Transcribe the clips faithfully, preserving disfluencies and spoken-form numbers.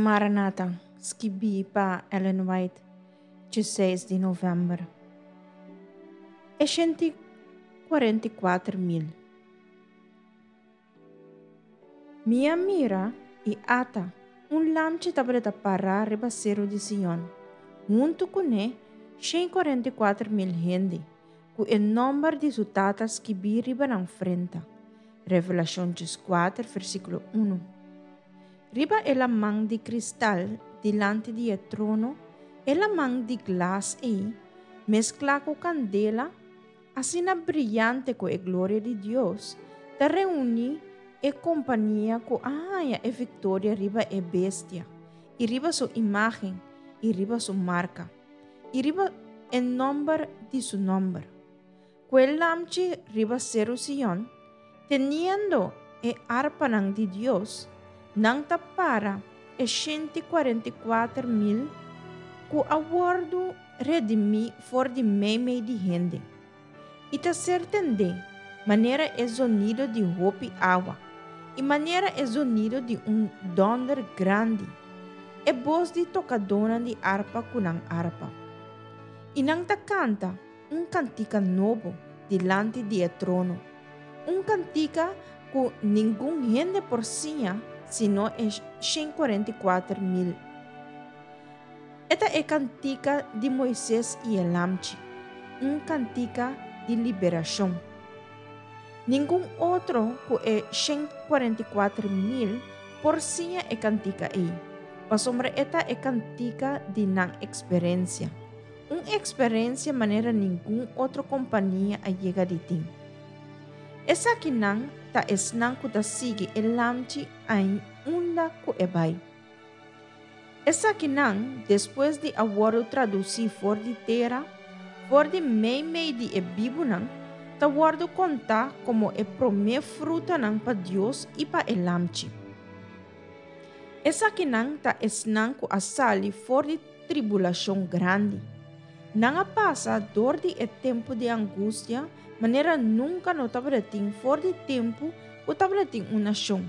Maranata, skibí pa Ellen White, diesseis di novèmber. E shent i kuarenta i kuater mil. Mi a mira i ata, un lamchi tabata pará riba seru di Sion, huntu kuné shen i kuarenta i kuater mil hende, ku e nòmber di su Tata skibí riba nan frenta. Revelashon dieskuater, versíkulo unu. Riba e laman di kristal dilanti di e trono, e laman di glas ei, mesklá ku kandela, asina briante ku e gloria di Dios, ta reuní e kompania ku a haña e viktoria riba e bestia, i riba su imágen, i riba su marka, i riba e nòmber di su nòmber. Ku e lamchi riba Seru Sion, teniendo e arpanan di Dios, nan ta para e shent i kuarenta i kuater mil ku a wòrdu redimí for di meimei di hende, i ta ser tendé manera e zonido di hopi awa i manera e zonido di un dònder grandi, e bos di tokadónan di arpa ku nan arpa. I nan ta kanta un kantika nobo dilanti di e trono, un kantika ku ningun hende por siña sino e shen kuarenta i kuater mil. E ta e kantika di Moises i e Lamchi, un kantika di liberashon. Ningun otro ku e shen kuarenta i kuater mil por siña e kantika ei, pasobra e ta e kantika di nan eksperensia, un eksperensia manera ningun otro kompania a yega di tin. Esakinan ta esnan ku ta sigui e Lamchi ai unda ku e bai. Esakinan, despues di a wòrdu tradusí for di tera, for di meimei di e bibunan, ta wòrdu kontá komo e promé frutanan pa Dios i pa e Lamchi. Esakinan ta esnan ku a sali for di tribulashon grandi. Nan a pasa dor di e tempu di angustia manera nunka no tabatin for di tempu ku tabatin un nashon.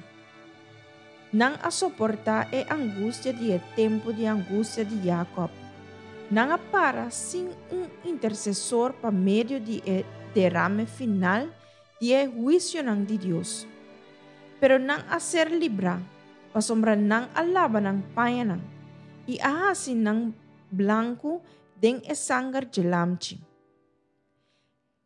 Nan a soportá e angustia di e tempu di angustia di Jakòb. Nan a para sin un intersesor pa medio di e derame final di e huisionan di Dios. Pero nan a ser librá, pasobra nan a laba nan pañanan i a hasi nan blanku den e sanger dje Lamchi.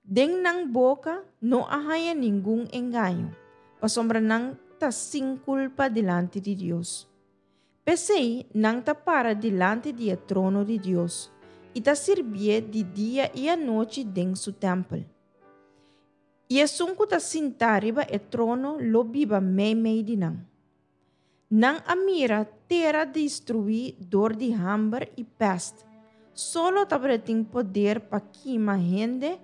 Den nan boka no a haña ningun engaño, pasobra nan ta sin kulpa dilanti di Dios. P'esei nan ta para dilanti di e trono di Dios i ta sirbié di dia i anochi den su tèmpel. I esun ku ta sintá riba e trono lo biba meimei di nan. Nan a mira tera destruí dor di hamber i pèst. Solo tabatin poder pa kima hende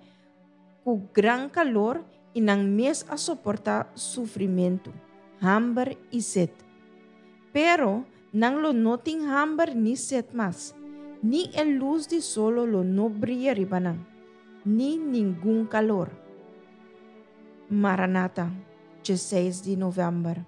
ku gran kalor i nan mes a soportá sufrimentu, hamber i set. Pero nan lo no tin hamber ni set mas, ni e lus di solo lo no bria riba nan, ni ningun kalor. Maranata, diesseis di novèmber.